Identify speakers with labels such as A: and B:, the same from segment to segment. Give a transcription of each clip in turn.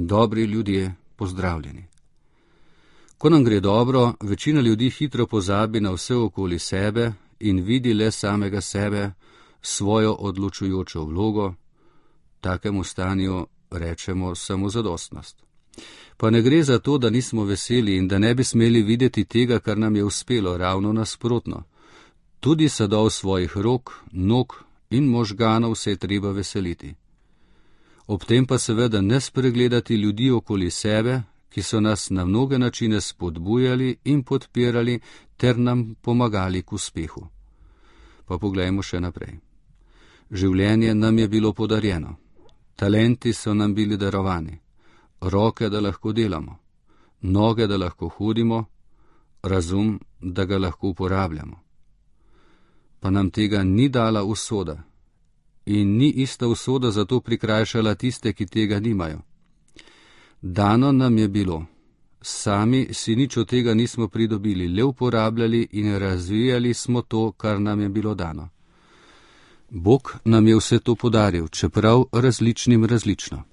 A: dobri ljudje, pozdravljeni. Ko nam gre dobro, večina ljudi hitro pozabi na vse okoli sebe in vidi le samega sebe, svojo odločujočo vlogo. Takemu stanju rečemo samozadostnost. Pa ne gre za to, da nismo veseli in da ne bi smeli videti tega, kar nam je uspelo, ravno nasprotno. Tudi sadov svojih rok, nog in možganov se je treba veseliti. Ob tem pa seveda ne spregledati ljudi okoli sebe, ki so nas na mnoge načine spodbujali in podpirali ter nam pomagali k uspehu. Pa poglejmo še naprej. Življenje nam je bilo podarjeno. Talenti so nam bili darovani. Roke, da lahko delamo. Noge, da lahko hodimo. Razum, da ga lahko uporabljamo. Pa nam tega ni dala usoda. In ni ista usoda zato prikrajšala tiste, ki tega nimajo. Dano nam je bilo. Sami si nič od tega nismo pridobili, le uporabljali in razvijali smo to, kar nam je bilo dano. Bog nam je vse to podaril, čeprav različno.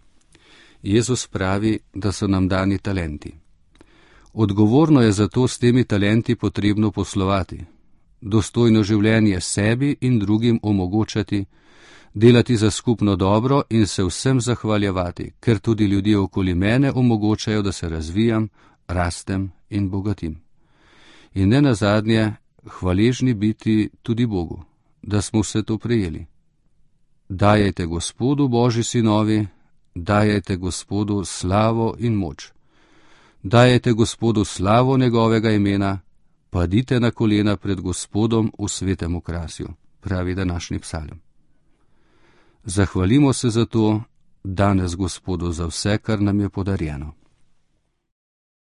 A: Jezus pravi, da so nam dani talenti. Odgovorno je zato s temi talenti potrebno poslovati, dostojno življenje sebi in drugim omogočati, delati za skupno dobro in se vsem zahvaljevati, ker tudi ljudje okoli mene omogočajo, da se razvijam, rastem in bogatim. In ne nazadnje, hvaležni biti tudi Bogu, da smo vse to prejeli. Dajajte Gospodu, Božji sinovi, dajajte Gospodu slavo in moč. Dajajte Gospodu slavo njegovega imena, padite na kolena pred Gospodom v svetem okrasju, pravi današnji psalm. Zahvalimo se za to danes Gospodu za vse, kar nam je podarjeno.